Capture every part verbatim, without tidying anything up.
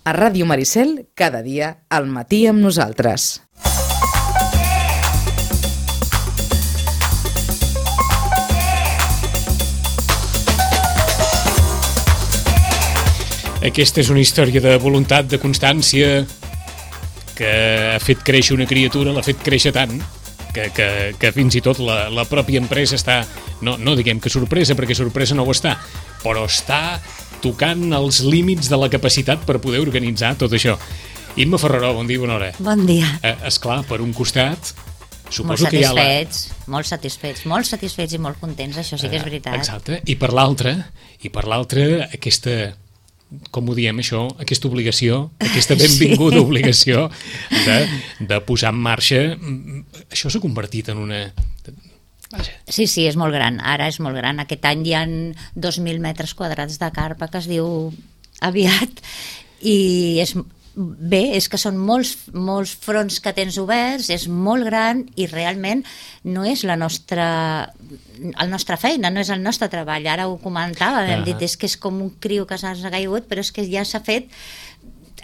A Ràdio Maricel, cada dia, al matí amb nosaltres. Aquesta és una història de voluntat, de constància, que ha fet créixer una criatura, l'ha fet créixer tant, que, que, que fins i tot la, la pròpia empresa està, no, no diguem que sorpresa, perquè sorpresa no ho està, però està tocant els límits de la capacitat per poder organitzar tot això. Imma Ferraró, bon dia, bona hora. Bon dia. Eh, esclar, per un costat, suposo molt que hi ha la... satisfets, molt satisfets, molt satisfets i molt contents, això sí que és veritat. Exacte, i per l'altra, i per l'altra, aquesta... com ho diem això, aquesta obligació, aquesta benvinguda sí. obligació de, de posar en marxa, això s'ha convertit en una... Vaja. Sí, sí, és molt gran, ara és molt gran. Aquest any hi ha dos mil metres quadrats de carpa, que es diu aviat, i és... Bé, és que són molts, molts fronts que tens oberts, és molt gran i realment no és la nostra, la nostra feina, no és el nostre treball. Ara ho comentava, hem uh -huh. dit, és que és com un criu que s'ha caigut, però és que ja s'ha fet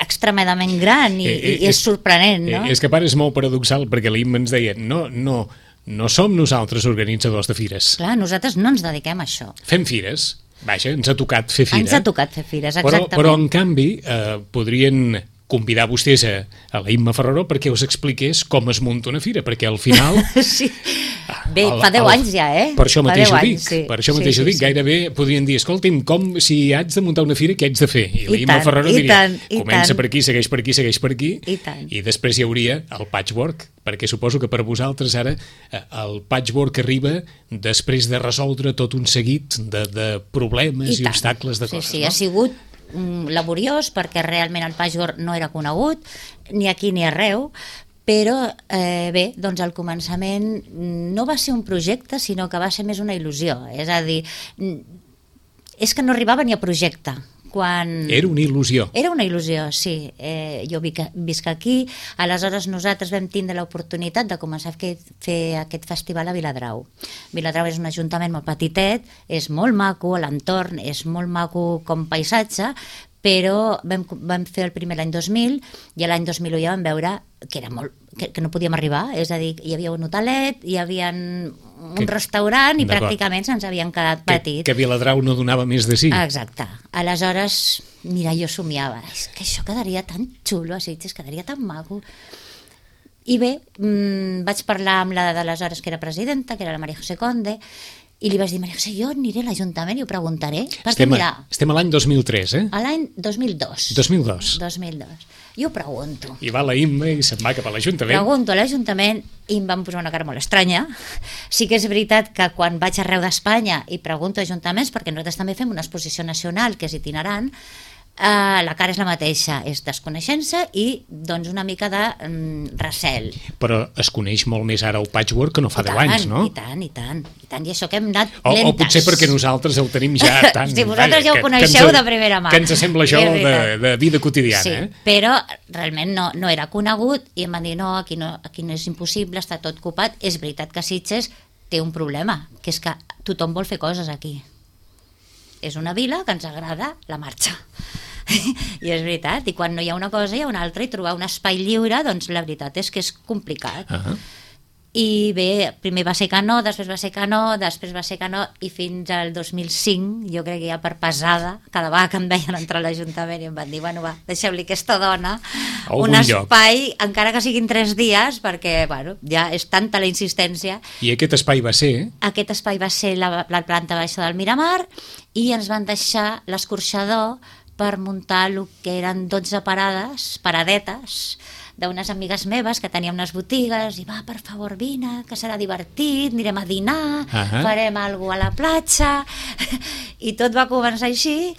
extremadament gran i, eh, eh, i és, és sorprenent, no? Eh, és que a part és molt paradoxal, perquè l'Imma ens deia, no, no, no som nosaltres organitzadors de fires. Clar, nosaltres no ens dediquem a això. Fem fires, vaja, ens ha tocat fer fira. Ens ha tocat fer fires, exactament. Però, però en canvi, eh, podrien... convidar vostès a, a la Imma Ferraró perquè us expliqués com es munta una fira, perquè al final... sí. Bé, el, fa deu anys ja, eh? Per això mateix ho dic, anys, sí. per això mateix sí, ho dic, sí, gairebé podrien dir, escolti'm, com si haig de muntar una fira, què haig de fer? I, I la Imma Ferraró diria, tant, comença tant. per aquí, segueix per aquí, segueix per aquí, I, tant. i després hi hauria el patchwork, perquè suposo que per vosaltres ara el patchwork arriba després de resoldre tot un seguit de, de problemes i, i obstacles de sí, coses, sí, no? Ha sigut laboriós perquè realment el patchwork no era conegut ni aquí ni arreu, però eh, bé, doncs al començament no va ser un projecte sinó que va ser més una il·lusió, és a dir, és que no arribava ni a projecte. Quan... Era una il·lusió. Era una il·lusió, sí. Eh, jo visc aquí, aleshores nosaltres vam tindre l'oportunitat de començar a fer, fer aquest festival a Viladrau. Viladrau és un ajuntament molt petitet, és molt maco, l'entorn és molt maco com paisatge, però vam, vam fer el primer l'any dos mil i l'any dos mil u ja vam veure que, era molt, que, que no podíem arribar, és a dir, hi havia un hotelet, hi havia un que, restaurant i pràcticament se'ns havien quedat petits. Que, que Viladrau no donava més de sí. Exacte. Aleshores, mira, jo somiava, és que això quedaria tan xulo a Sitges, quedaria tan maco. I bé, mmm, vaig parlar amb la d'aleshores que era presidenta, que era la Maria José Conde, i li vaig dir, Maria José, jo aniré a l'Ajuntament i ho preguntaré. Estem, a, estem a l'any dos mil tres, eh? A l'any dos mil dos. dos mil dos. dos mil dos. I ho pregunto. I va la Imma i se'n va cap a l'Ajuntament. Pregunto a l'Ajuntament i em van posar una cara molt estranya. Sí que és veritat que quan vaig arreu d'Espanya i pregunto a ajuntaments, perquè nosaltres també fem una exposició nacional que és itinerant, Uh, la cara és la mateixa, és desconeixença i doncs una mica de um, recel. Però es coneix molt més ara el patchwork que no fa deu anys, no? I tant, i tant, i tant, i això que hem anat o, lentes. O potser perquè nosaltres el tenim ja tan... Si vosaltres ja ho coneixeu de primera mà. Que ens sembla això de, de vida quotidiana. Sí, eh? però realment no, no era conegut i em van dir no aquí, no, aquí no és impossible, està tot ocupat. És veritat que Sitges té un problema, que és que tothom vol fer coses aquí. És una vila que ens agrada la marxa. I és veritat, i quan no hi ha una cosa hi ha una altra, i trobar un espai lliure, doncs la veritat és que és complicat. Uh-huh. I bé, primer va ser que no, després va ser que no, després va ser que no, i fins al dos mil cinc, jo crec que ja per pesada, cada vegada que em veien entrar a l'Ajuntament i em van dir, bueno va, deixeu-li aquesta dona un espai, lloc. Encara que siguin tres dies, perquè bueno, ja és tanta la insistència. I aquest espai va ser? Aquest espai va ser la, la planta baixa del Miramar, i ens van deixar l'escorxador per muntar el que eren dotze parades, paradetes, d'unes amigues meves que tenien unes botigues, i va, per favor, vine, que serà divertit, anirem a dinar, uh-huh. farem alguna cosa a la platja, i tot va començar així,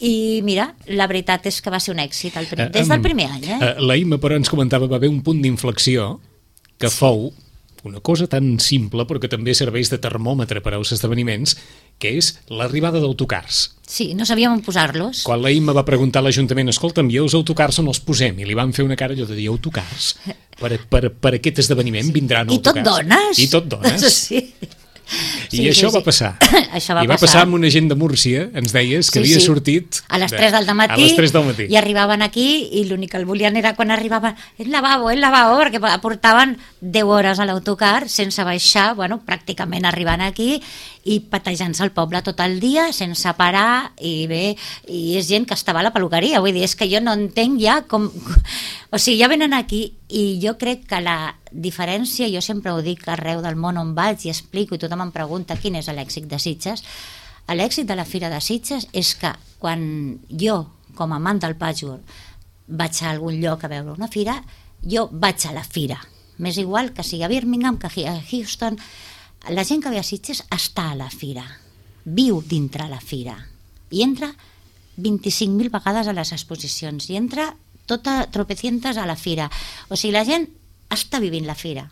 i mira, la veritat és que va ser un èxit el primer, des del primer any. Eh? La Imma, però, ens comentava, va haver un punt d'inflexió que sí. fou una cosa tan simple, però que també serveix de termòmetre per als esdeveniments, que és l'arribada d'autocars. Sí, no sabíem on posar-los. Quan la Imma va preguntar a l'Ajuntament, escolta'm, i els autocars on els posem? I li van fer una cara allò de dir, autocars? Per, per, per aquest esdeveniment vindran I autocars. I tot dones. I tot dones. Sí. I Sí, això sí, va sí. passar. Això va I va passar. passar amb una gent de Múrcia, ens deies, que Sí, havia sí. sortit... A les de- tres del matí, A les tres del matí. i arribaven aquí i l'únic que el volien era quan arribaven el lavabo, el lavabo, perquè portaven deu hores a l'autocar sense baixar, bueno, pràcticament arribant aquí i patejant-se el poble tot el dia sense parar, i bé, i és gent que estava a la peluqueria, vull dir, és que jo no entenc ja com... O sigui, ja venen aquí i jo crec que la diferència, jo sempre ho dic arreu del món on vaig i explico i tothom em pregunta quin és l'èxit de Sitges. L'èxit de la Fira de Sitges és que quan jo, com a amant del patchwork, vaig a algun lloc a veure una fira, jo vaig a la fira. M'és igual que sigui a Birmingham, que a Houston. La gent que ve a Sitges està a la fira, viu dintre la fira i entra vint-i-cinc mil vegades a les exposicions i entra tota tropecientes a la fira. O sigui, la gent està vivint la fira.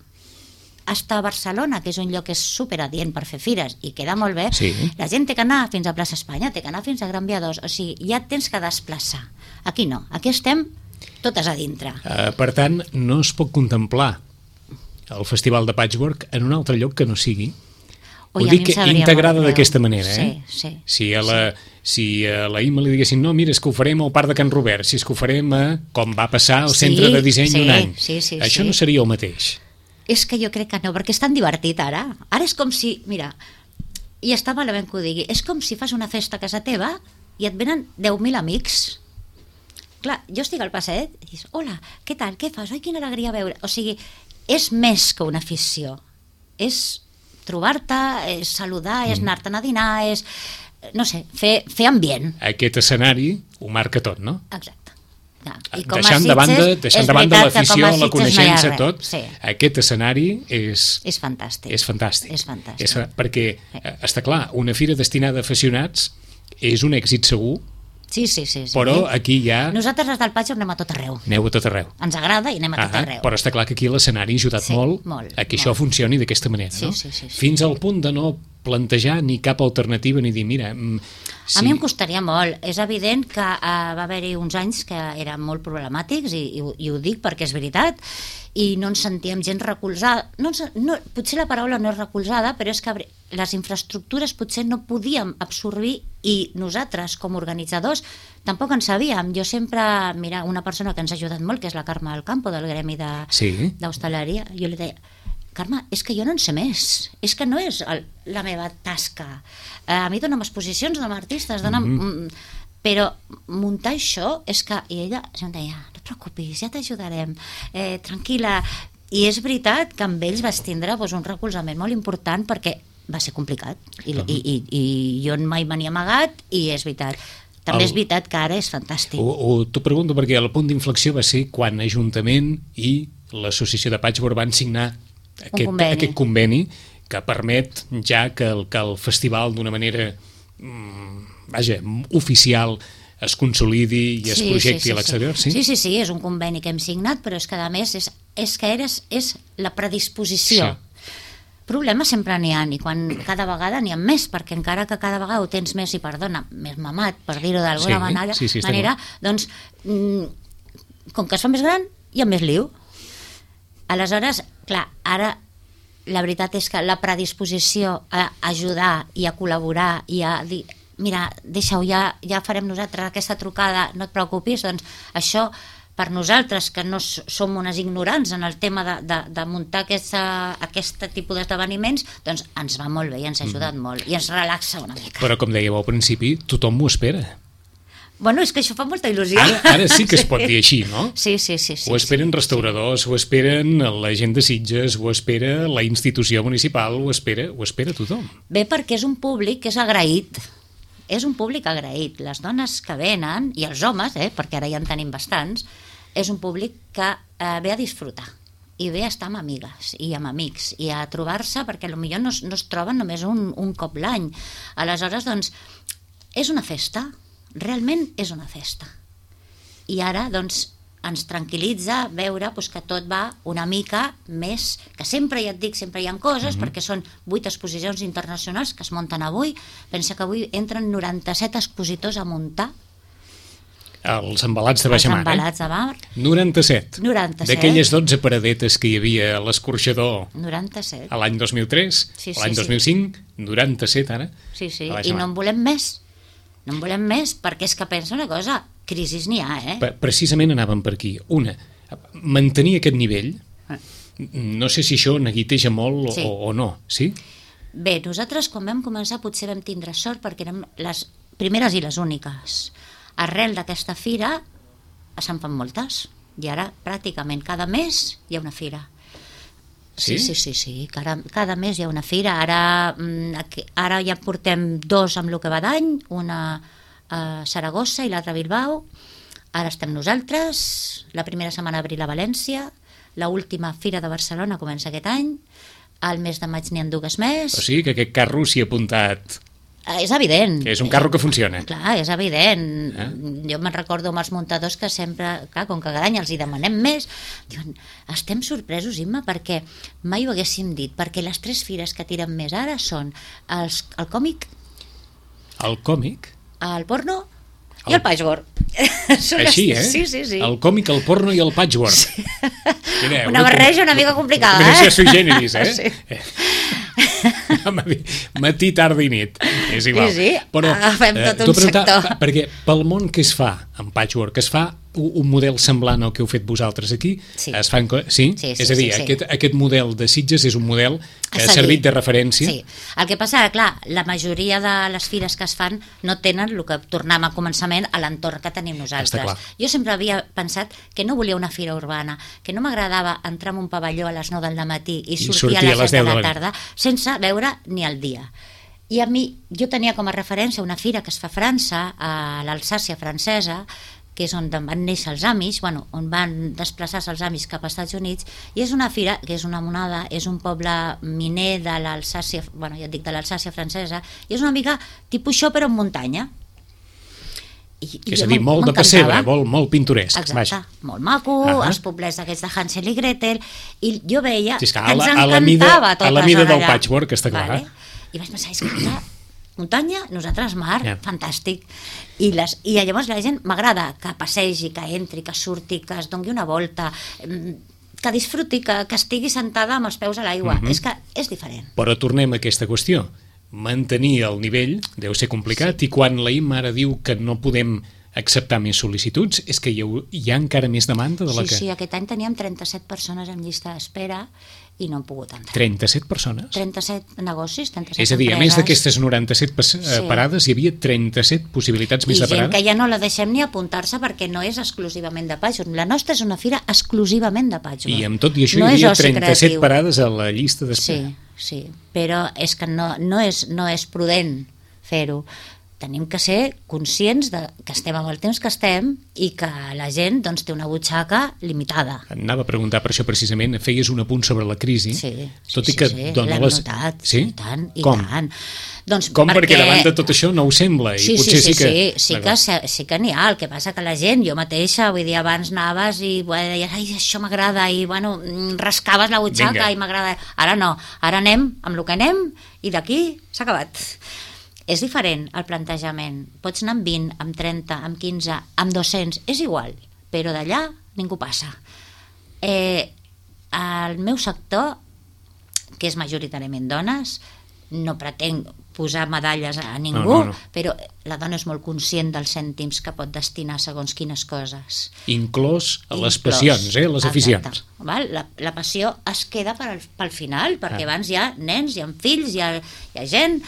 Està a Barcelona, que és un lloc que és superadient per fer fires i queda molt bé, Sí. la gent té que anar fins a Plaça Espanya, té que anar fins a Gran Via dos, o sigui, ja tens que desplaçar. Aquí no, aquí estem totes a dintre. Uh, per tant, no es pot contemplar el Festival de Patchwork en un altre lloc que no sigui. Ui, Ho a mi dic em sabria integrada molt greu. d'aquesta manera, eh? Sí, sí. Si a la, si a la I M A li diguessin, no, mira, és que ho farem al Parc de Can Robert, si és que ho farem a, com va passar al Sí, Centre de Disseny sí, un any. sí, sí, Això sí. no seria el mateix. És que jo crec que no, perquè és tan divertit ara. Ara és com si, mira, i està malament que ho digui, és com si fas una festa a casa teva i et venen deu mil amics. Clar, jo estic al passeig i dius, hola, què tal, què fas? Ai, quina alegria veure. O sigui, és més que una afició. És trobar-te, és saludar, és anar-te'n a dinar, és, no sé, fer, fer ambient. Aquest escenari ho marca tot, no? Exacte. Ja. Deixant de banda, deixant de banda l'afició, la coneixença, no tot, sí. aquest escenari és... És fantàstic. És fantàstic. És fantàstic. És, perquè, eh, està clar, una fira destinada a aficionats és un èxit segur, Sí, sí, sí, sí. però aquí ja Nosaltres, els del Patxo, anem a tot arreu. aneu a tot arreu. Ens agrada i anem a tot Ah, arreu. però està clar que aquí l'escenari ha ajudat Sí, molt, molt, a que molt. això funcioni d'aquesta manera, Sí, no? sí, sí, sí. Fins al punt de no plantejar ni cap alternativa ni dir, mira... mm, Sí. A mi em costaria molt. És evident que uh, va haver-hi uns anys que eren molt problemàtics i, i, ho- i ho dic perquè és veritat, i no ens sentíem gent recolzada. No, ens- no, potser la paraula no és recolzada, però és que abri- les infraestructures potser no podíem absorbir i nosaltres, com a organitzadors, tampoc en sabíem. Jo sempre, mira, una persona que ens ha ajudat molt, que és la Carme del Campo, del Gremi de- Sí. d'Hostaleria, jo li deia, Carme, és que jo no en sé més, és que no és el, la meva tasca. Eh, a mi dona'm exposicions, dona'm artistes, dona'm... Mm-hmm. Però muntar això és que... I ella em deia, no et preocupis, ja t'ajudarem, eh, tranquil·la. I és veritat que amb ells vas tindre doncs, un recolzament molt important perquè va ser complicat. I, uh-huh. i, i, i jo mai me n'he amagat i és veritat. També El- és veritat que ara és fantàstic. Ho, ho, t'ho pregunto perquè el punt d'inflexió va ser quan Ajuntament i l'Associació de Patchwork van signar aquest conveni. aquest conveni que permet ja que el, que el festival d'una manera mm, vaja, oficial es consolidi i es projecti a l'exterior, sí? Sí, sí, sí, és un conveni que hem signat, però és que a més és, és que eres, és la predisposició. Sí. Problemes sempre n'hi ha, i quan cada vegada n'hi ha més, perquè encara que cada vegada ho tens més, i perdona, més mamat, per dir-ho d'alguna Sí, manera, sí, sí, està manera doncs, mm, com que es fa més gran, hi ha més liu. Aleshores, clar, ara la veritat és que la predisposició a ajudar i a col·laborar i a dir, mira, deixa-ho, ja, ja farem nosaltres aquesta trucada, no et preocupis, doncs això per nosaltres, que no s- som unes ignorants en el tema de, de, de muntar aquesta, aquest tipus d'esdeveniments, doncs ens va molt bé i ens ha ajudat mm. molt i ens relaxa una mica. Però com dèieu al principi, tothom m'ho espera. Bueno, és que això fa molta il·lusió. Ara, ara sí que es pot dir així, no? Sí, sí, sí. sí Ho esperen sí, restauradors, ho esperen la gent de Sitges, ho espera la institució municipal, ho espera, ho espera tothom. Bé, perquè és un públic que és agraït. És un públic agraït. Les dones que venen, i els homes, eh, perquè ara ja en tenim bastants, és un públic que eh, ve a disfrutar i ve a estar amb amigues i amb amics i a trobar-se, perquè potser no, es- no es troben només un, un cop l'any. Aleshores, doncs, és una festa. Realment és una festa. I ara, doncs, ens tranquil·litza veure doncs, que tot va una mica més, que sempre, ja et dic, sempre hi ha coses, mm-hmm. perquè són vuit exposicions internacionals que es munten avui. Pensa que avui entren noranta-set expositors a muntar Els embalats de baixamar, els embalats de mar. noranta-set. noranta-set. D'aquelles dotze paradetes que hi havia a l'escorxador noranta-set. a l'any dos mil tres, Sí, sí, l'any sí. dos mil cinc, noranta-set ara. Sí, sí, a i baixamar. no en volem més. No en volem més, perquè és que pensa una cosa, crisis n'hi ha, eh? Pre- Precisament anàvem per aquí. Una, mantenir aquest nivell, Ah. no sé si això neguiteja molt o, Sí. o no, sí? Bé, nosaltres quan vam començar potser vam tindre sort perquè érem les primeres i les úniques. Arrel d'aquesta fira se'n fan moltes i ara pràcticament cada mes hi ha una fira. Sí, Sí? sí, sí, sí. Cada, cada mes hi ha una fira. Ara, mm, aquí, ara ja portem dos amb el que va d'any, una a Saragossa i l'altra a Bilbao. Ara estem nosaltres, la primera setmana d'abril a València, la última fira de Barcelona comença aquest any, al mes de maig n'hi ha dues més. O sigui que aquest carro s'hi ha apuntat, Eh, És evident. que és un carro que funciona. Clar, és evident. Eh? Jo me'n recordo amb els muntadors que sempre, clar, com que cada any els hi demanem més, diuen, estem sorpresos, Imma, perquè mai ho haguéssim dit, perquè les tres fires que tiren més ara són els, el còmic, El còmic, el porno El- i el patchwork. Són així, les- eh? Sí, sí, sí. El còmic, el porno i el patchwork. Sí. Quina, Una barreja una mica complicada, combinació eh? sui generis, eh? Sí. Matí, tarda i nit. És igual. Sí, sí, agafem tot t'ho un preguntava, sector. Perquè pel món que es fa en patchwork, es fa un un model semblant al que heu fet vosaltres aquí? Sí. Es fan, co- sí? Sí, sí, és a dir, sí, sí. Aquest, aquest model de Sitges és un model que A ha seguir. servit de referència. Sí. El que passa, clar, la majoria de les fires que es fan no tenen el que tornem a començament a l'entorn que tenim Està nosaltres. clar. Jo sempre havia pensat que no volia una fira urbana, que no m'agradava entrar en un pavelló a les nou del matí i sortir, sortir a a les les set deu de de la la tarda sense veure ni el dia. I a mi, jo tenia com a referència una fira que es fa a França, a l'Alsàcia francesa, que és on van néixer els Amish, bueno, on van desplaçar-se els Amish cap als Estats Units, i és una fira que és una monada, és un poble miner de l'Alsàcia, bueno, ja et dic, de l'Alsàcia francesa, i és una mica tipus això, però en muntanya. I, i És a jo dir, m'en- molt de m'encantava. pessebre, molt, molt pintoresc. Exacte, Vaja. molt maco, Ahà. els poblets aquests de Hansel i Gretel, i jo veia Sí, és que que a ens la- a la mida- encantava tot a la la mida zona del allà. patchwork, està clar. I vaig pensar, és que clar, muntanya, nosaltres mar, Ja. fantàstic. I, les, I llavors la gent m'agrada que passegi, que entri, que surti, que es doni una volta, mm, que disfruti, que, que estigui sentada amb els peus a l'aigua. Mhm. És que és diferent. Però tornem a aquesta qüestió. Mantenir el nivell deu ser complicat, sí. I quan la Imma ara diu que no podem acceptar més sol·licituds, és que hi ha, hi ha encara més demanda de la Sí, que... sí, aquest any teníem trenta-set persones en llista d'espera i no hem pogut entrar. trenta-set persones? trenta-set negocis, trenta-set És a dir, a empreses. més d'aquestes noranta-set pas- eh, Sí. parades, hi havia trenta-set possibilitats I més de gent parada? que ja no la deixem ni apuntar-se perquè no és exclusivament de patchwork. La nostra és una fira exclusivament de patchwork. I amb tot i això no hi és havia oci trenta-set creatiu. parades a la llista d'espera. Sí, sí, però és que no, no, és, no és prudent fer-ho. Tenim que ser conscients de que estem amb el temps que estem i que la gent doncs, té una butxaca limitada. Anava a preguntar per això precisament, feies un apunt sobre la crisi, Sí, tot sí, i que sí, sí. dona l'hem les... notat, Sí? i tant, i Com? tant. Doncs Com? Perquè... perquè davant de tot això no ho sembla, i Sí, sí, potser sí, sí, que... sí, sí que, sí, sí que n'hi ha, el que passa que la gent, jo mateixa, vull dir, abans anaves i bueno, deies, ai, això m'agrada, i bueno, mm, rascaves la butxaca Vinga. i m'agrada. Ara no, ara anem amb el que anem i d'aquí s'ha acabat. És diferent el plantejament. Pots anar amb vint, amb trenta, amb quinze, amb dos-cents, és igual, però d'allà ningú passa. Eh, el meu sector, que és majoritàriament dones, no pretenc posar medalles a ningú, No, no, no. però la dona és molt conscient dels cèntims que pot destinar segons quines coses. Inclòs a les Inclòs. passions, eh, les aficions. Exacte. Val? La, la passió es queda pel, pel final, perquè Ah. abans hi ha nens, hi ha fills, hi ha, hi ha gent,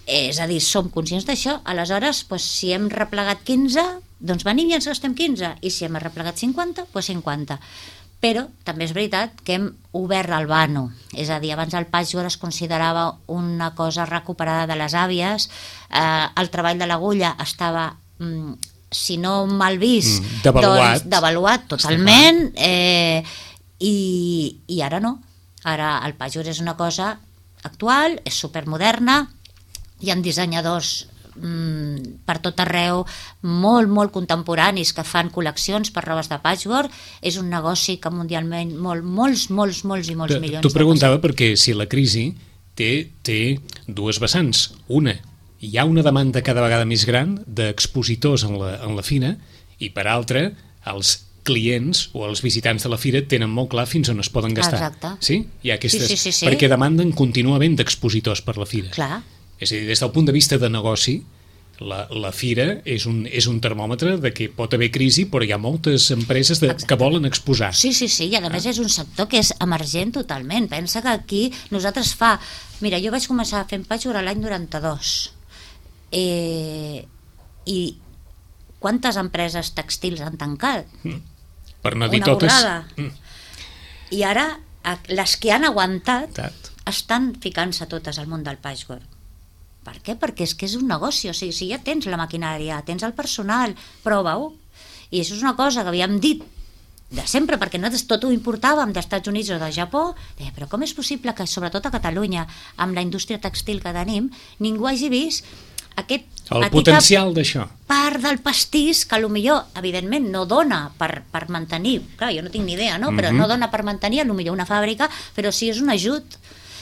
és a dir, som conscients d'això, aleshores, doncs, si hem replegat quinze, doncs venim i ens gastem quinze, i si hem replegat cinquanta, doncs cinquanta. Però també és veritat que hem obert el vano, és a dir, abans el patchwork es considerava una cosa recuperada de les àvies, eh, el treball de l'agulla estava, mm, si no mal vist, Mm, devaluat. doncs, devaluat totalment, eh, i, i ara no. Ara el patchwork és una cosa actual, és supermoderna, hi ha dissenyadors mm, per tot arreu, molt, molt contemporanis que fan col·leccions per robes de patchwork. És un negoci que mundialment molt, molts, molts, molts i molts T'ho milions t'ho de preguntava perquè si la crisi té, té dues vessants. Una, hi ha una demanda cada vegada més gran d'expositors en la, en la fina, i per altra, els clients o els visitants de la fira tenen molt clar fins on es poden gastar. Exacte. Sí? Hi ha aquestes... Sí, sí, sí, sí. Perquè demanden continua havent d'expositors per la fira. Clar. És a dir, des del punt de vista de negoci, la, la fira és un, és un termòmetre de que pot haver crisi, però hi ha moltes empreses de, que volen exposar. Sí, sí, sí, i a més és un sector que és emergent totalment. Pensa que aquí nosaltres fa... Mira, jo vaig començar fent patchwork l'any noranta-dos. Eh, I quantes empreses tèxtils han tancat? Mm. Per no dir Una totes... borrada. Mm. I ara, les que han aguantat Tat. estan ficant-se totes al món del patchwork. Per què? Perquè és que és un negoci, o sigui, si ja tens la maquinària, tens el personal, prova-ho. I això és una cosa que havíem dit de sempre, perquè nosaltres tot ho importàvem dels Estats Units o del Japó, deia, però com és possible que, sobretot a Catalunya, amb la indústria textil que tenim, ningú hagi vist aquest el potencial d'això. Part del pastís que potser, evidentment, no dona per, per mantenir, clar, jo no tinc ni idea, no? Però mm-hmm. no dona per mantenir potser una fàbrica, però sí és un ajut.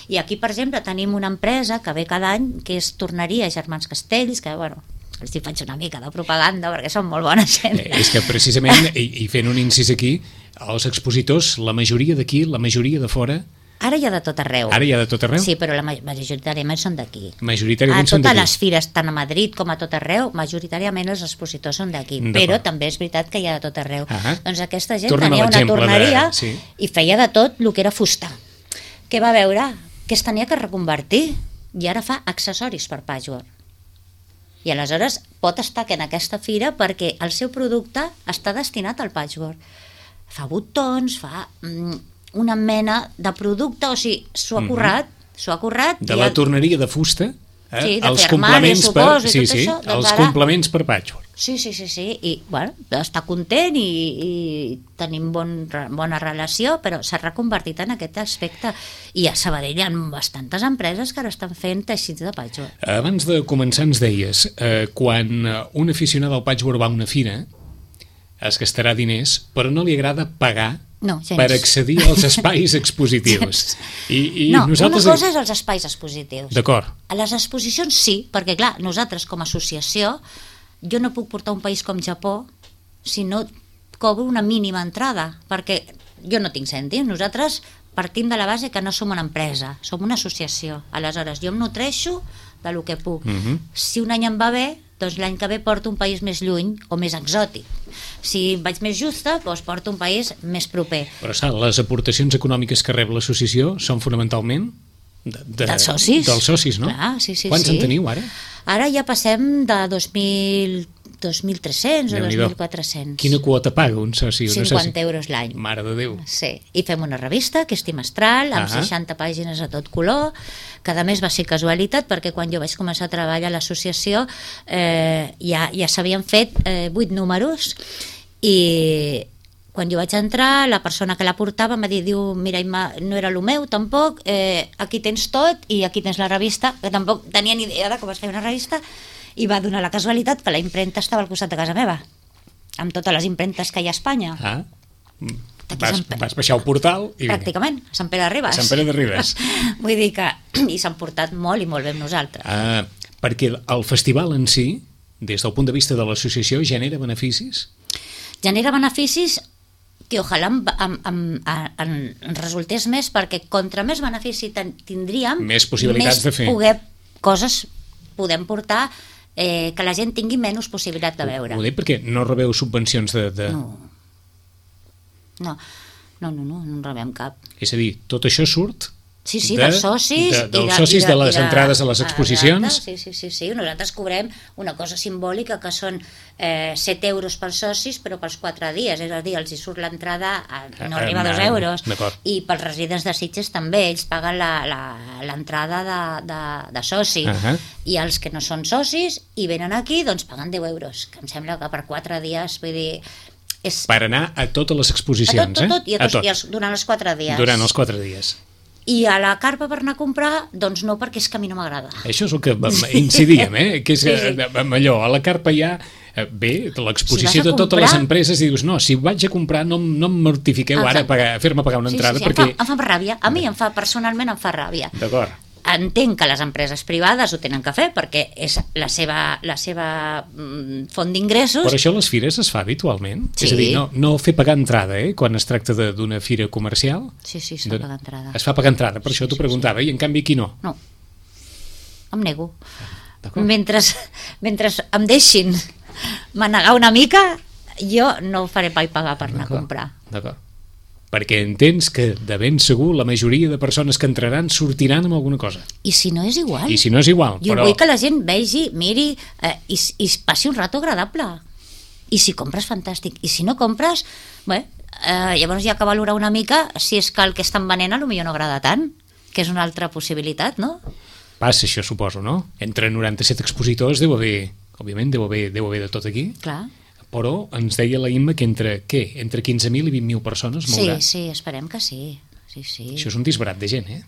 I aquí, per exemple, tenim una empresa que ve cada any, que és Torneria Germans Castells, que, bueno, els hi faig una mica de propaganda perquè són molt bona gent. Eh, és que precisament, i, i fent un incís aquí, els expositors, la majoria d'aquí, la majoria de fora... Ara hi ha de tot arreu. Ara hi ha de tot arreu? Sí, però la majoritàriament són d'aquí. Majoritàriament són d'aquí. A totes les fires, tant a Madrid com a tot arreu, majoritàriament els expositors són d'aquí. Però també és veritat que hi ha de tot arreu. Ah, doncs aquesta gent torna tenia una torneria de... sí. i feia de tot el que era fusta. Què va veure? Que es tenia que reconvertir i ara fa accessoris per patchwork. I aleshores pot estar que en aquesta fira perquè el seu producte està destinat al patchwork. Fa botons, fa mm, una mena de producte, o sigui, s'ho ha currat, mm-hmm. s'ho ha currat. De la torneria de fusta, eh? Sí, de els fer armaris, complements suposo, per, i sí, tot sí, això, doncs els ara... complements per patchwork. Sí, sí, sí, sí, i bueno, està content i, i tenim bon, bona relació, però s'ha reconvertit en aquest aspecte. I a Sabadell hi ha bastantes empreses que ara estan fent teixits de patchwork. Abans de començar ens deies, eh, quan un aficionat al patchwork va a una fira, es gastarà diners, però no li agrada pagar no, per accedir als espais expositius. I, i no, nosaltres... una cosa és els espais expositius. D'acord. A les exposicions sí, perquè clar, nosaltres com a associació, jo no puc portar un país com Japó si no cobro una mínima entrada, perquè jo no tinc cèntims, nosaltres partim de la base que no som una empresa, som una associació. Aleshores, jo em nutreixo de lo que puc. Uh-huh. Si un any em va bé, doncs l'any que ve porto un país més lluny o més exòtic. Si vaig més justa, doncs porto un país més proper. Però saps, les aportacions econòmiques que rep l'associació són fonamentalment de, de, dels socis. Dels socis, no? Clar, sí, sí, Quants sí. en teniu ara? Ara ja passem de dos mil dos mil tres-cents o dos mil quatre-cents. Quina quota paga un soci? cinquanta euros l'any. Mare de Déu. Sí, i fem una revista que és trimestral, amb uh-huh. seixanta pàgines a tot color. Cada mes va ser casualitat, perquè quan jo vaig començar a treballar a l'associació eh, ja, ja s'havien fet eh, vuit números, i quan jo vaig entrar, la persona que la portava em va dir, diu, mira, Imma, no era el meu tampoc, eh, aquí tens tot i aquí tens la revista, que tampoc tenia ni idea de com es feia una revista, i va donar la casualitat que la impremta estava al costat de casa meva, amb totes les impremtes que hi ha a Espanya. Ah, vas, vas baixar el portal i pràcticament, a Sant Pere de Ribes. A Sant Pere de Ribes. Vull dir que i s'han portat molt i molt bé amb nosaltres. Ah, perquè el festival en si, des del punt de vista de l'associació, genera beneficis? Genera beneficis que ojalà en, en, en, en resultés més, perquè contra més benefici tindríem, més possibilitats més de fer. Poder, coses podem portar eh, que la gent tingui menys possibilitat de veure. Ho dic perquè no rebeu subvencions de... de... No. No. no, no, no, no en rebem cap. És a dir, tot això surt... Sí, sí, de, dels socis. De, dels i de, socis i de, de les i de, entrades a les exposicions. Sí, sí, sí, sí. Nosaltres cobrem una cosa simbòlica que són eh, set euros pels socis, però pels quatre dies. És a dir, els hi surt l'entrada, no arriba a dos euros. I pels residents de Sitges també, ells paguen l'entrada de, de, de soci. Uh -huh. I els que no són socis i venen aquí, doncs paguen deu euros. Que em sembla que per quatre dies, vull dir... És... Per anar a totes les exposicions, a tot, tot, tot, eh? I, a tots, a tot. I els, durant els quatre dies. Durant els quatre dies. I a la carpa per anar a comprar, doncs no, perquè és que a mi no m'agrada. Això és el que incidíem, eh? Que és sí, sí. amb allò, a la carpa hi ha, bé, l'exposició si de totes comprar... les empreses, i dius, no, si vaig a comprar no, no em mortifiqueu Exacte. ara a, a fer-me pagar una entrada, sí, sí, sí. perquè... Em fa, em fa ràbia, a mi em fa, personalment em fa ràbia. D'acord. entenc que les empreses privades ho tenen que fer perquè és la seva, la seva mm, font d'ingressos. Però això a les fires es fa habitualment? Sí. És a dir, no, no fer pagar entrada, eh? Quan es tracta d'una fira comercial. Sí, sí, es fa pagar entrada. Es fa pagar entrada, per sí, això t'ho sí, preguntava, sí. I en canvi aquí no? No, em nego. Mentre, mentre em deixin manegar una mica, jo no faré pa i pagar per anar a comprar. D'acord. Perquè entens que de ben segur la majoria de persones que entraran sortiran amb alguna cosa. I si no és igual. I si no és igual, jo però... vull que la gent vegi, miri eh, i, i passi un rato agradable. I si compres, fantàstic. I si no compres, bé, eh, llavors hi ha que valorar una mica si és que el que estan venent potser no agrada tant, que és una altra possibilitat, no? Passa això, suposo, no? Entre noranta-set expositors deu haver, òbviament, deu haver, deu haver de tot aquí. Clar. Però ens deia la Imma que entre, què? Entre quinze mil i vint mil persones mourà. Sí, sí, esperem que sí. sí, sí. Això és un disbarat de gent, eh?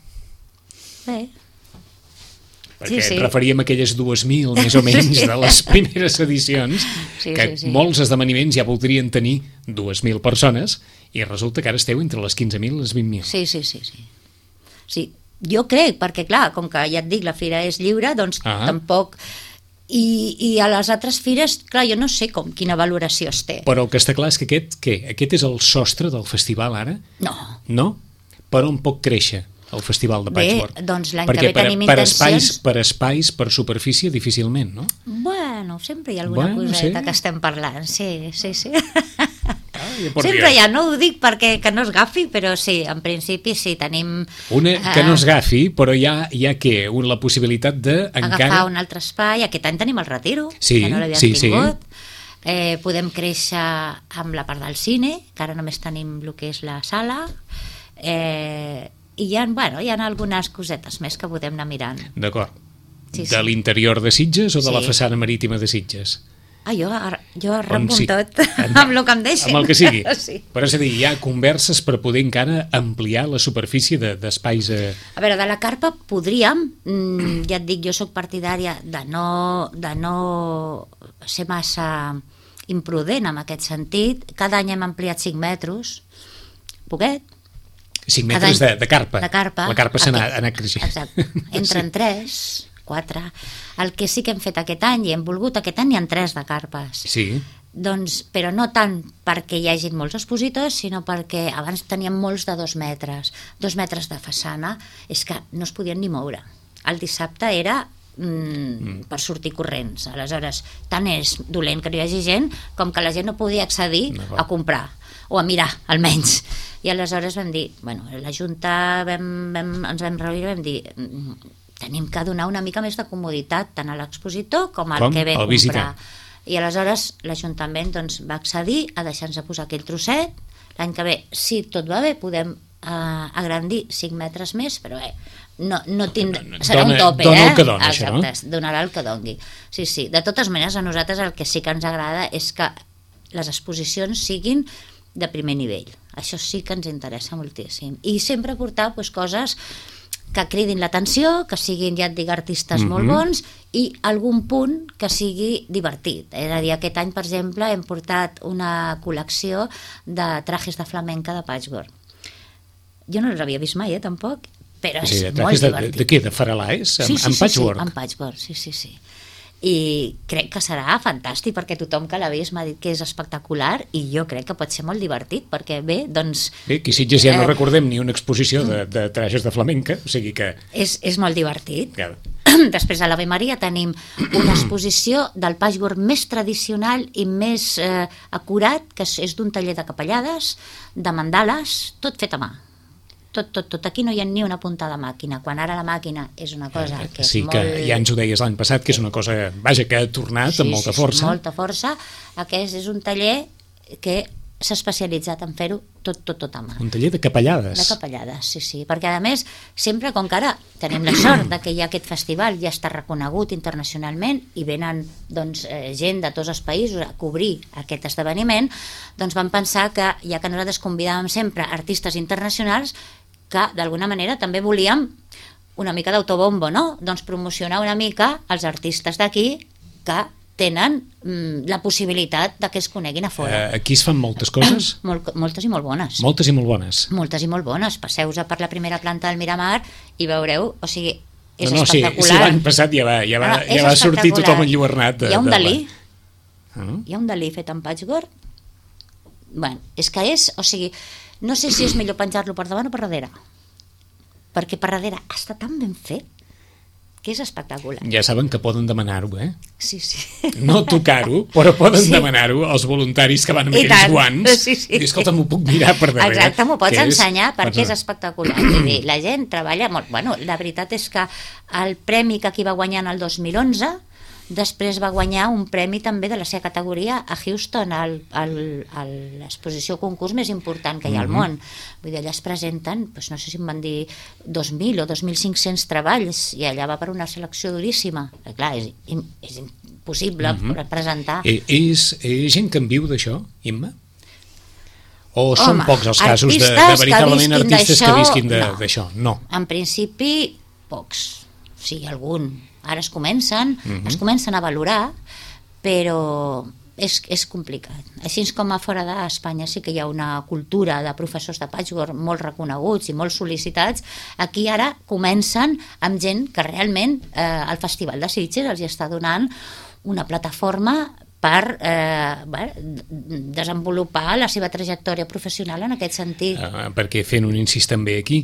Bé. Perquè sí, sí. referíem a aquelles dues mil, més o menys, de les primeres edicions, sí, que sí, sí. molts esdeveniments ja voldrien tenir dues mil persones, i resulta que ara esteu entre les quinze mil i les vint mil. Sí, sí, sí, sí. Sí, jo crec, perquè clar, com que ja et dic, la fira és lliure, doncs ah. tampoc... I, i a les altres fires, clar, jo no sé com, quina valoració es té. Però el que està clar és que aquest, què? Aquest és el sostre del festival ara? No. No? Per on pot créixer el festival de Patchwork? Bé, doncs l'any perquè que ve per, tenim per intencions... espais, per espais, per superfície, difícilment, no? Bueno, sempre hi ha alguna bueno, coseta sí. que estem parlant, sí, sí, sí. Ah, ja sempre hi ha, no ho dic perquè que no es gafi, però sí, en principi sí, tenim... Una que no es gafi, però hi ha, hi ha què? Un, la possibilitat de... Agafar encara... un altre espai, aquest any tenim el Retiro, sí, que no l'havíem sí, tingut. Sí. Eh, podem créixer amb la part del cine, que ara només tenim el que és la sala, eh, i hi ha, bueno, hi ha algunes cosetes més que podem anar mirant. D'acord. Sí, sí. De l'interior de Sitges o de sí. la façana marítima de Sitges? Ah, jo, jo arrenco sí. tot, amb el que em deixin. Amb el que sigui. Sí. Però és a dir, hi ha converses per poder encara ampliar la superfície d'espais... De, eh... A veure, de la carpa podríem, mm, ja et dic, jo sóc partidària de no, de no ser massa imprudent en aquest sentit. Cada any hem ampliat cinc metres, poquet. cinc metres de, de carpa. De carpa. La carpa s'ha anat, anat creixent. Exacte. Entren sí. tres... quatre. El que sí que hem fet aquest any, i hem volgut, aquest any hi ha tres de carpes. Sí. Doncs, però no tant perquè hi hagin molts expositors, sinó perquè abans teníem molts de dos metres. Dos metres de façana, és que no es podien ni moure. El dissabte era mm, mm. per sortir corrents. Aleshores, tant és dolent que no hi hagi gent, com que la gent no podia accedir no, a comprar, o a mirar, almenys. I aleshores vam dir, bueno, la Junta vam, vam, ens vam reunir i vam dir... tenim que donar una mica més de comoditat tant a l'expositor com al com? que ve a comprar. Visitant. I aleshores l'Ajuntament doncs, va accedir a deixar-nos posar aquell trosset. L'any que ve, si tot va bé, podem uh, agrandir cinc metres més, però bé, no, no tind... serà dona, un tope, dona eh? el que dona, exacte, això, no? Donarà el que doni. Sí, sí. De totes maneres, a nosaltres el que sí que ens agrada és que les exposicions siguin de primer nivell. Això sí que ens interessa moltíssim. I sempre portar pues, coses que cridin l'atenció, que siguin, ja et dic, artistes mm-hmm. molt bons i algun punt que sigui divertit. És a dir, aquest any, per exemple, hem portat una col·lecció de trajes de flamenca de Patchwork. Jo no els havia vist mai, eh, tampoc, però és sí, molt de, divertit. De, de què? De faralaes? Sí, Amb, sí, amb sí, Patchwork? Sí, amb Patchwork, sí, sí, sí. I crec que serà fantàstic perquè tothom que l'ha vist m'ha dit que és espectacular i jo crec que pot ser molt divertit perquè bé, doncs... Bé, que Sitges ja no eh, recordem ni una exposició de, de trajes de flamenca, o sigui que... És, és molt divertit. Ja. Després a l'Ave Maria tenim una exposició del patchwork més tradicional i més eh, acurat, que és d'un taller de capellades, de mandales, tot fet a mà. Tot, tot, tot. Aquí no hi ha ni una punta de màquina, quan ara la màquina és una cosa que és sí, molt... Sí, que ja ens ho deies l'any passat, que és una cosa, vaja, que ha tornat sí, amb molta sí, força. Sí, molta força. Aquest és un taller que s'ha especialitzat en fer-ho tot, tot, tot a mà. Un taller de capellades. De capellades, sí, sí. Perquè, a més, sempre, com que ara tenim la sort de que hi ha aquest festival, ja està reconegut internacionalment i venen doncs, eh, gent de tots els països a cobrir aquest esdeveniment, doncs vam pensar que, ja que nosaltres convidàvem sempre artistes internacionals, que d'alguna manera també volíem una mica d'autobombo, no? Doncs promocionar una mica els artistes d'aquí que tenen mm, la possibilitat de que es coneguin a fora. Uh, aquí es fan moltes coses? Mol, moltes i molt bones. Moltes i molt bones. Moltes i molt bones. Passeu-vos per la primera planta del Miramar i veureu, o sigui, és no, no, sí, espectacular. sí, l'any passat ja va, ja va, no, no, ja va sortir tothom enlluernat. De, hi ha un de Dalí, la... uh -huh. hi ha un Dalí fet en patchwork. Bueno, és que és, o sigui, no sé si és millor penjar-lo per davant o per darrere, perquè per darrere està tan ben fet que és espectacular. Ja saben que poden demanar-ho, eh? Sí, sí. No tocar-ho, però poden Sí. demanar-ho als voluntaris que van amb I aquells tant. guants. Sí, sí. I escolta, m'ho puc mirar per darrere. Exacte, m'ho pots que és- ensenyar perquè Pots- és espectacular. Vull dir, la gent treballa molt. Bueno, la veritat és que el premi que aquí va guanyar en el dos mil onze, després va guanyar un premi també de la seva categoria a Houston, al, al, a l'exposició concurs més important que hi ha al món. Vull dir, allà es presenten, doncs no sé si em van dir dos mil o dos mil cinc-cents treballs, i allà va per una selecció duríssima. Eh, clar, és, im- és impossible mm-hmm. presentar. Eh, és, és gent que en viu d'això, Imma? O són Home, pocs els casos de, de artistes que veritablement visquin artistes que d'això, visquin de- no. d'això? No. En principi, pocs. Sí, algun. Ara es comencen, Mhm. es comencen a valorar, però és, és complicat. Així com a fora d'Espanya sí que hi ha una cultura de professors de patchwork molt reconeguts i molt sol·licitats, aquí ara comencen amb gent que realment eh, el Festival de Sitges els hi està donant una plataforma per eh, bé, desenvolupar la seva trajectòria professional en aquest sentit. Uh, perquè fent un incís també aquí,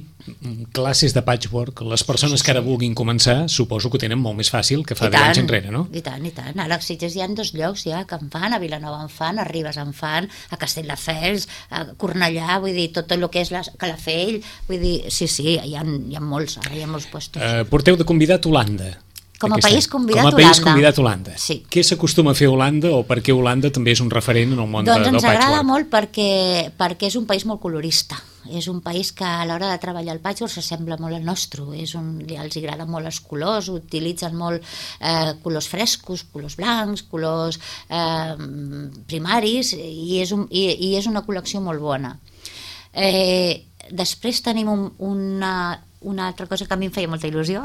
classes de patchwork, les persones que ara vulguin començar suposo que ho tenen molt més fàcil que fa I deu anys tant, enrere, no? I tant, i tant. Ara a Sitges hi ha dos llocs ja que en fan, a Vilanova en fan, a Ribes en fan, a Castelldefels, a Cornellà, vull dir, tot el que és la, Calafell, vull dir, sí, sí, hi ha, hi ha molts, ara hi ha molts puestos. Uh, porteu de convidat Holanda. Com a aquest país any. convidat Com a país Holanda. convidat Holanda. Sí. Què s'acostuma a fer a Holanda o per què Holanda també és un referent en el món Doncs de, del ens agrada patchwork? molt perquè, perquè és un país molt colorista. És un país que a l'hora de treballar el patchwork s'assembla molt al nostre. És un, els agraden molt els colors, utilitzen molt eh, colors frescos, colors blancs, colors eh, primaris, i és, un, i, i és una col·lecció molt bona. Eh, després tenim un, una, una altra cosa que a mi em feia molta il·lusió,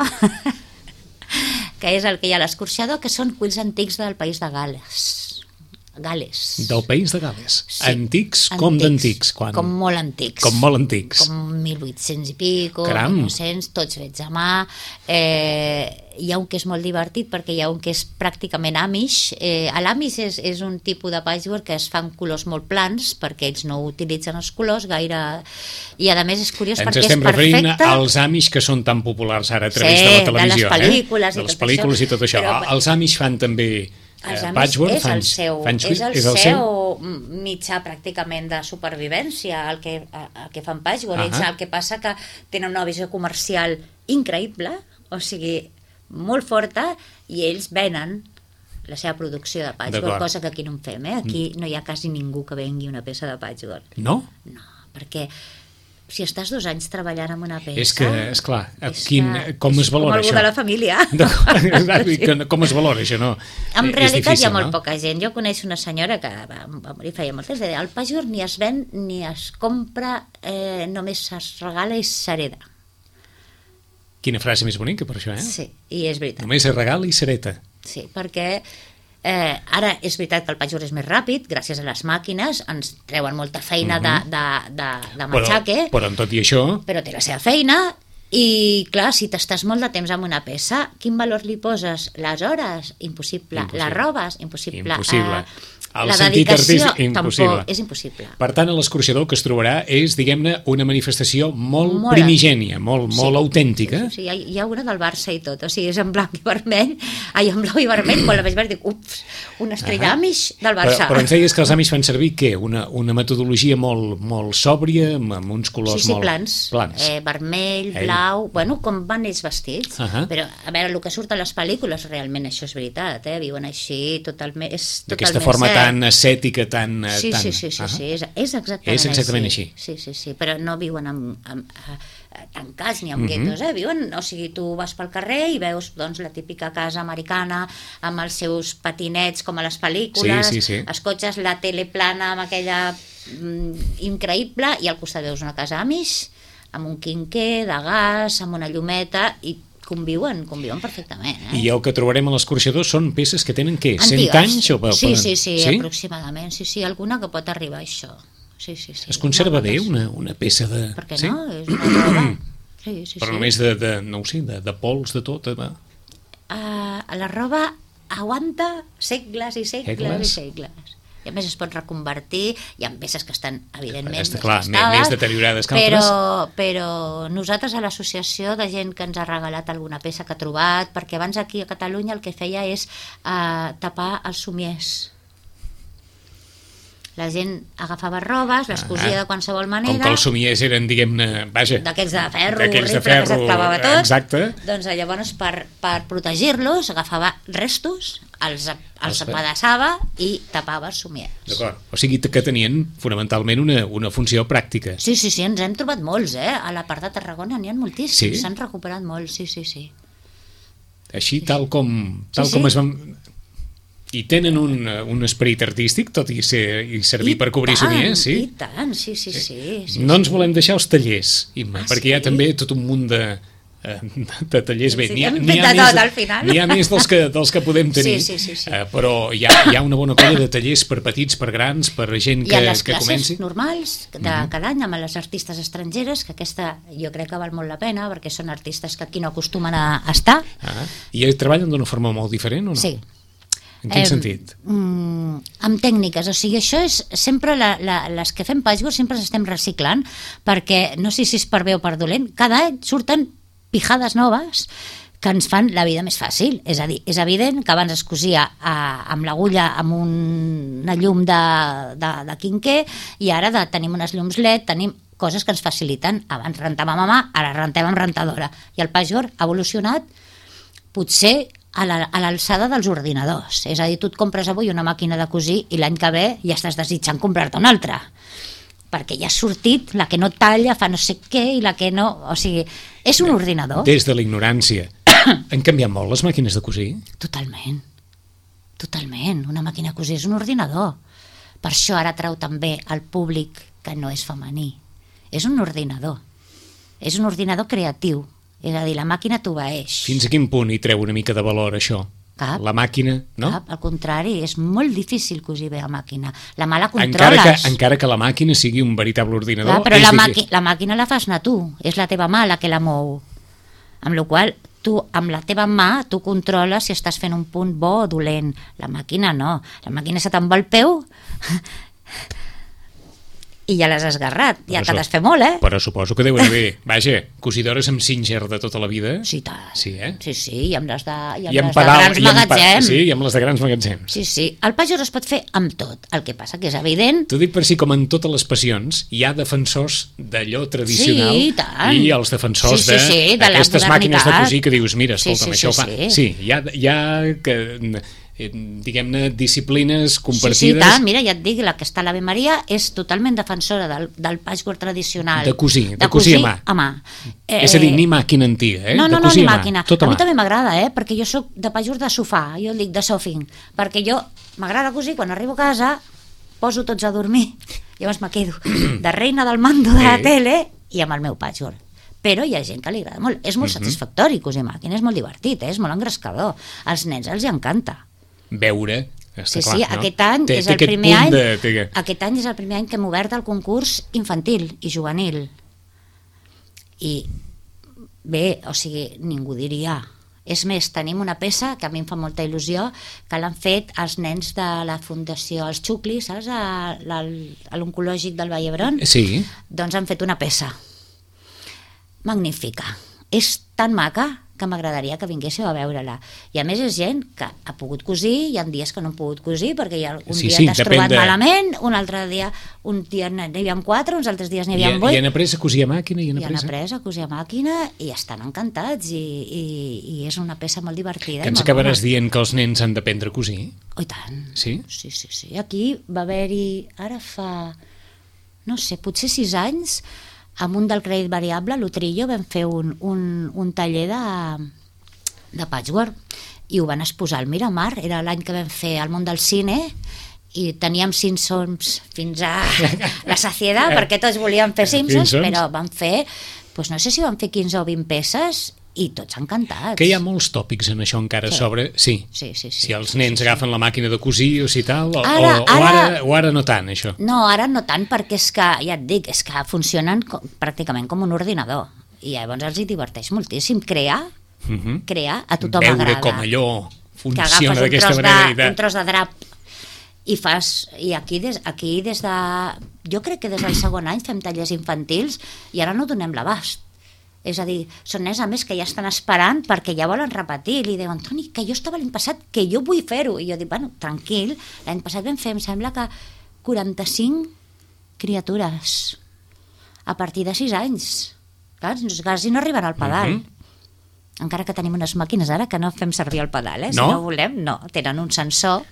que és el que hi ha a l'escorxador, que són quills antics del país de Gales. Gales. Del país de Gales. Sí. Antics, com d'antics? Quan... Com molt antics. Com molt antics. Com mil vuit-cents i pico, Caram. mil nou-cents, tots fets a mà. Eh, hi ha un que és molt divertit perquè hi ha un que és pràcticament Amish. Eh, L'Amish és, és un tipus de patchwork que es fan colors molt plans perquè ells no utilitzen els colors gaire... I a més és curiós Ens perquè és estem referint perfecte. als Amish que són tan populars ara a través Sí, de la de televisió. les pel·lícules eh? i de les tot pel·lícules això. i tot això. Però- Els Amish fan també Els eh, Amish patchwork, és fan, el seu, fan, és el és el seu seu... mitjà pràcticament de supervivència el que, el que fan patchwork. Ahà. Ells el que passa que tenen una visió comercial increïble, o sigui, molt forta, i ells venen la seva producció de patchwork, D'acord. cosa que aquí no en fem, eh? Aquí no hi ha quasi ningú que vengui una peça de patchwork. No? No, perquè si estàs dos anys treballant en una peça... És que, esclar, és quin, que com es és valora com algú això? de la família. Exacte, i que- com es valora això, no? En És realitat difícil, hi ha molt no? poca gent. Jo coneixo una senyora que va, va morir feia moltes, deia, el patchwork ni es ven ni es compra, eh, només es regala i s'hereda. Quina frase més bonica per això, eh? Sí, i és veritat. Només es regala i s'hereta. Sí, perquè eh, ara és veritat que el patchwork és més ràpid, gràcies a les màquines, ens treuen molta feina de, de, de, de Però, matxaque, però amb tot i això, però té la seva feina. I clar, si t'estàs molt de temps amb una peça, quin valor li poses? Les hores? Impossible. Impossible. Les robes? Impossible. Impossible. Eh, El la sentit dedicació? artístic, impossible. Tampoc, és impossible. per tant, a l'escorxador que es trobarà és, diguem-ne, una manifestació molt, Molt. primigènia, molt, molt autèntica. Sí, sí, sí. Hi, ha, hi ha una del Barça i tot, o sigui, és en blanc i vermell, ai, en blau i vermell, quan la vaig veure dic, ups, una estrella Ah. Amish del Però, Barça. però ens deies que els Amish fan servir què? Una, una metodologia molt, molt sòbria, amb, amb uns colors Sí, sí, molt... plans, plans. Eh, vermell, Ei. blau, bueno, com van ells vestits. Ahà. Però, a veure, el que surt a les pel·lícules, realment això és veritat, eh? Viuen així, totalment, és D'aquesta totalment forma cert. tan ascètica, tan... eh, Sí, tan... sí, sí, sí, Ahà. sí, és, és exactament, És exactament així. Sí, sí, sí, però no viuen amb, amb, eh, tancats ni amb Mhm. guetos, eh? Viuen, o sigui, tu vas pel carrer i veus doncs, la típica casa americana amb els seus patinets com a les pel·lícules, Sí, sí, sí. els cotxes, la tele plana amb aquella mm, increïble, i al costat veus una casa Amish amb un quinquer de gas, amb una llumeta, i conviuen, conviuen perfectament. Eh? I el que trobarem a l'escorxador són peces que tenen, què, cent Antigues. anys? O Sí, poden- sí, sí, aproximadament. Sí, sí, alguna que pot arribar a això. Sí, sí, sí. Es conserva Molt bé bones. una, una peça de... Per què sí? no? És una roba. Sí, sí, Però sí. només de, de, no ho sé, de, de pols, de tot. De... Uh, la roba aguanta segles i segles, Segles? i segles. I a més es pot reconvertir, hi ha peces que estan evidentment Està clar, més, desgastades, més deteriorades que però, altres. però nosaltres a l'associació de gent que ens ha regalat alguna peça que ha trobat, perquè abans aquí a Catalunya el que feia és uh, tapar els somiers. La gent agafava robes, les cosia Ah, de qualsevol manera. Com que els somiers eren, diguem-ne, vaja... D'aquells de ferro, d'aquells de horrible, que ferro, s'aclavava tot. exacte. Doncs llavors, per, per protegir-los, agafava restos, els, els Ostres. apedaçava i tapava els somiers. D'acord. O sigui que tenien fonamentalment una, una funció pràctica. Sí, sí, sí, ens hem trobat molts, eh? A la part de Tarragona n'hi ha moltíssims, Sí? s'han recuperat molts, sí, sí, sí. Així, tal com, tal Sí, sí. com es van... I tenen un, un esperit artístic, tot i, ser, i servir I per cobrir tant, somiers, sí? I tant, sí, sí, sí. sí No ens sí. volem deixar els tallers, Imma, Ah, perquè hi ha sí? també tot un munt de, eh, de tallers. Bé, Sí, n'hi ha, hem n'hi ha fet de més, tot, al final. n'hi ha més dels que, dels que podem tenir, Sí, sí, sí, sí. eh, però hi ha, hi ha una bona colla de tallers per petits, per grans, per gent I que, a les que classes comenci. normals de cada any amb les artistes estrangeres, que aquesta jo crec que val molt la pena, perquè són artistes que aquí no acostumen a estar. Ah, I treballen d'una forma molt diferent o no? Sí. En quin Eh, sentit? Mm, amb tècniques, o sigui, això és sempre la, la, les que fem patchwork sempre ens estem reciclant, perquè no sé si és per bé o per dolent, cada any surten pijades noves que ens fan la vida més fàcil. És a dir, és evident que abans es cosia a, amb l'agulla amb un, una llum de, de, de quinquer, i ara de, tenim unes llums L E D, tenim coses que ens faciliten. Abans rentàvem a mà, ara rentem amb rentadora, i el patchwork ha evolucionat potser a la- a l'alçada dels ordinadors. És a dir, tu et compres avui una màquina de cosir i l'any que ve ja estàs desitjant comprar-te una altra, perquè ja ha sortit la que no talla, fa no sé què, i la que no... O sigui, és un ordinador. Des de la ignorància. Han canviat molt les màquines de cosir? Totalment. Totalment. Una màquina de cosir és un ordinador. Per això ara trau també al públic que no és femení. És un ordinador. És un ordinador creatiu. És a dir, la màquina t'obeeix. Fins a quin punt hi treu una mica de valor, això? Cap. La màquina, no? Cap, al contrari, és molt difícil cosir bé a màquina. La mà la Encara controles. que, encara que la màquina sigui un veritable ordinador... Clar, però és la, difí- màqui la màquina la fas anar tu, és la teva mà la que la mou. Amb la qual tu, amb la teva mà, tu controles si estàs fent un punt bo o dolent. La màquina no. La màquina se te'n va el peu i ja l'has esgarrat. Ja Però que su- t'has fet molt, eh? Però suposo que deuen haver, vaja, cosidores amb Singer de tota la vida. Sí, tant. Sí, eh? Sí, sí, i amb les de, i amb I amb les de pedal, grans i amb pa- magatzems. sí, i amb les de grans magatzems. Sí, sí. El patchwork es pot fer amb tot. El que passa que és evident. T'ho dic per si, com en totes les passions, hi ha defensors d'allò tradicional Sí, i tant. i els defensors Sí, sí, sí, de la d'aquestes màquines de modernitat. cosir que dius, mira, Sí, escolta'm, sí, això sí, fa... sí. Sí, hi ha, hi ha que, eh, diguem-ne, disciplines Sí, compartides... sí, i tant. Mira, ja et dic, la que està a l'Ave Maria és totalment defensora del, del patchwork tradicional. De cosir, de cosir a mà. a mà. Eh, és a dir, ni màquina antiga, eh? No, no, de no, cosir ni a mà, màquina. tot A a mi mà. també m'agrada, eh? Perquè jo sóc de patchwork de sofà, jo el dic de sofing, perquè jo m'agrada cosir, quan arribo a casa poso tots a dormir, llavors me quedo de reina del mando de la Eh. tele i amb el meu patchwork. Però hi ha gent que li agrada molt. És molt Mhm. satisfactori cosir a màquina, és molt divertit, eh? És molt engrescador. Als nens els hi encanta. Veure, està Sí, clar, sí, no? aquest any Té- és té el aquest primer punt any de- té- aquest any és el primer any que hem obert el concurs infantil i juvenil. I bé, o sigui, ningú diria. És més, tenim una peça que a mi em fa molta il·lusió, que l'han fet els nens de la Fundació Els Xuclis, saps? A l'al- a l'oncològic del Vall d'Hebron. Sí, Doncs han fet una peça magnífica. És tan maca que m'agradaria que vinguéssiu a veure-la. I a més és gent que ha pogut cosir, hi ha dies que no han pogut cosir, perquè hi ha, un Sí, dia sí, t'has depèn trobat de- malament, un altre dia, un dia n'hi havia quatre, uns altres dies n'hi I, havia i vuit, han après a cosir a màquina i han i han après... a- après a cosir a màquina i estan encantats, i, i, i és una peça molt divertida. Que i ens molt acabaràs bona. dient que els nens han d'aprendre a cosir? Oh, i tant. Sí? Sí, sí, sí. Aquí va haver-hi, ara fa, no sé, potser sis anys, amb un del crèdit variable, l'Utrillo, vam fer un, un, un taller de, de patchwork i ho van exposar al Miramar. Era l'any que vam fer el món del cine i teníem Simpsons fins a la saciedad, perquè tots volíem fer Simpsons, Simpsons. però van fer, doncs no sé si van fer quinze o vint peces i tots encantats. Que hi ha molts tòpics en això encara Sí. sobre... Sí. Sí, sí, sí. Si els sí, nens sí, sí. agafen la màquina de cosir o si tal, o, Ara- o, o, ara, ara- o ara no tant, això. No, ara no tant, perquè és que, ja et dic, és que funcionen com, pràcticament com un ordinador. I llavors els hi diverteix moltíssim. Crear, uh -huh. crear, a tothom veure agrada. com allò que funciona agafes un d'aquesta tros, manera. de, un tros de drap i fas, i aquí des, aquí des de, jo crec que des del segon any fem tallers infantils i ara no donem l'abast. És a dir, són nens a més que ja estan esperant perquè ja volen repetir, i li diuen, Toni, que jo estava l'any passat, que jo vull fer-ho, i jo dic, bueno, tranquil, l'any passat vam fer, em sembla que quaranta-cinc criatures a partir de sis anys. Clar, quasi no arriben al pedal. Mm -hmm. Encara que tenim unes màquines ara que no fem servir el pedal, eh? Si no, no volem, no, tenen un sensor.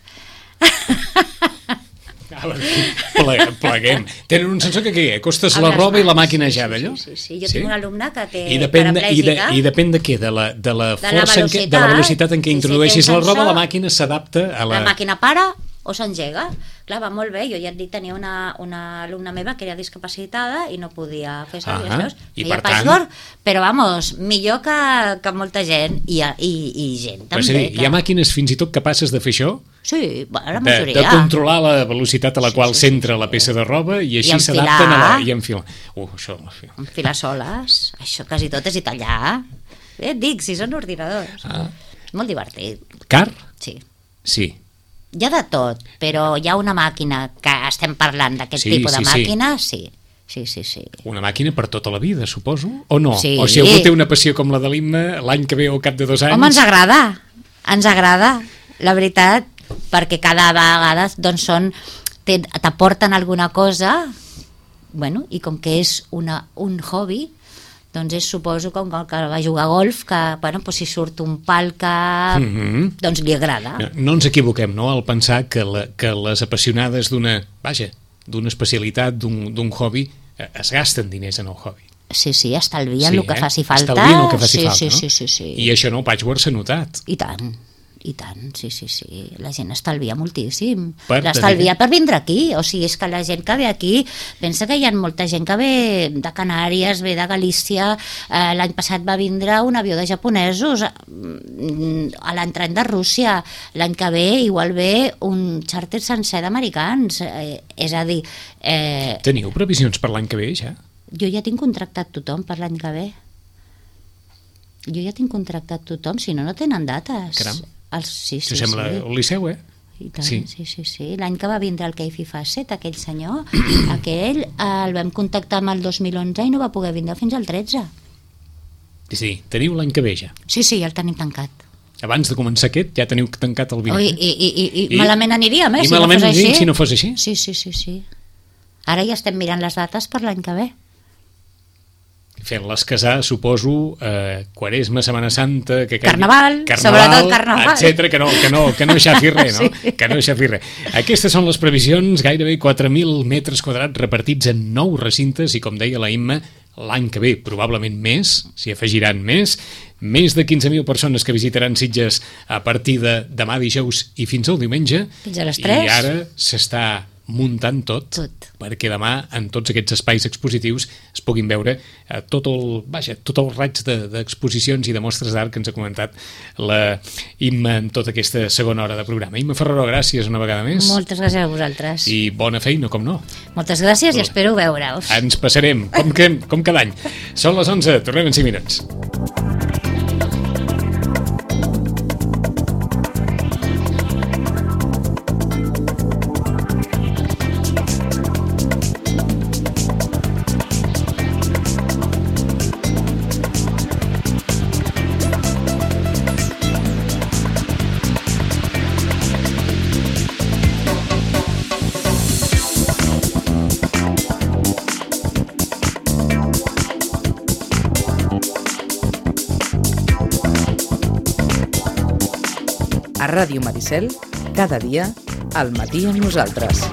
Pleguem. Tenen un sensor que què? Acostes la roba i la màquina ja d'allò? Sí, sí, sí, jo sí? tinc un alumne que té I depèn de, i, de, I depèn de què? De la, de la de força, la en què, de la velocitat en què sí, introdueixis sí, la roba, sensor, la màquina s'adapta a la... La màquina para o s'engega. Clar, va molt bé. Jo ja et dic, tenia una, una alumna meva que era discapacitada i no podia fer servir ah, els i feia per tant... password, però vamos, millor que, que molta gent i, i, i gent també. Dir, que... Hi ha màquines fins i tot capaces de fer això? Sí, bueno, la de, majoria. de controlar la velocitat a la sí, qual sí, s'entra sí, sí. la peça de roba i així I s'adapten a la... I enfilar. Uh, això... Enfilar soles, això quasi tot és i tallar. Eh, et dic, si són ordinadors. Ah. És molt divertit. Car? Sí. Sí. Hi ha de tot, però hi ha una màquina que estem parlant d'aquest sí, tipus sí, de màquina, sí. Sí, sí, sí. Una màquina per tota la vida, suposo? O no? Sí. O si algú té una passió com la de l'Imma, l'any que ve o al cap de dos anys... Home, ens agrada, ens agrada, la veritat, perquè cada vegada doncs, són, t'aporten alguna cosa, bueno, i com que és una, un hobby, doncs és, suposo, com que va jugar a golf, que, bueno, doncs si surt un pal que mm-hmm. doncs li agrada. No, no ens equivoquem, no?, al pensar que, la, que les apassionades d'una, vaja, d'una especialitat, d'un hobby, es gasten diners en el hobby. Sí, sí, estalvien sí, el que eh? faci falta. Estalvien el que faci sí, falta, sí, no? Sí, sí, sí. I això no, el Patchwork s'ha notat. I tant. I tant, sí, sí, sí. La gent estalvia moltíssim. Per L'estalvia per vindre aquí. O sigui, és que la gent que ve aquí, pensa que hi ha molta gent que ve de Canàries, ve de Galícia. Eh, L'any passat va vindre un avió de japonesos a l'entrany de Rússia. L'any que ve igual ve un xàrter sencer d'americans. Eh, és a dir... Eh, Teniu previsions per l'any que ve, ja? Jo ja tinc contractat tothom per l'any que ve. Jo ja tinc contractat tothom, si no, no tenen dates. Caram. Els, sí, sí, Això sembla sí. el Liceu, eh? I tant, sí, sí, sí, sí. L'any que va vindre el Keifi Facet, aquell senyor, aquell el vam contactar amb el dos mil onze i no va poder vindre fins al tretze. Sí, teniu l'any que ve ja? Sí, sí, ja el tenim tancat. Abans de començar aquest ja teniu tancat el vint. Oh, i, i, i, i, I malament aniríem, eh? I si malament no fos aniríem així. si no fos així? Sí, sí, sí, sí. Ara ja estem mirant les dates per l'any que ve. Fent-les casar, suposo, eh, Quaresma, Setmana Santa... Que carnaval, carnaval, sobretot carnaval. etcètera, que no, que no, que no xafi res, no? Sí. Que no xafi res. Aquestes són les previsions, gairebé quatre mil metres quadrats repartits en nou recintes i, com deia la Imma, l'any que ve, probablement més, s'hi afegiran més, més de quinze mil persones que visitaran Sitges a partir de demà dijous i fins al diumenge. Fins a les tres. I ara s'està muntant tot, tot, perquè demà en tots aquests espais expositius es puguin veure eh, tot el, vaja, tot el raig d'exposicions de, i de mostres d'art que ens ha comentat la Imma en tota aquesta segona hora de programa. Imma Ferrero, gràcies una vegada més. Moltes gràcies a vosaltres. I bona feina, com no. Moltes gràcies i espero veure-us. Ens passarem, com, que, com cada any. Són les onze, tornem en cinc minuts. A Ràdio Maricel, cada dia, al matí amb nosaltres.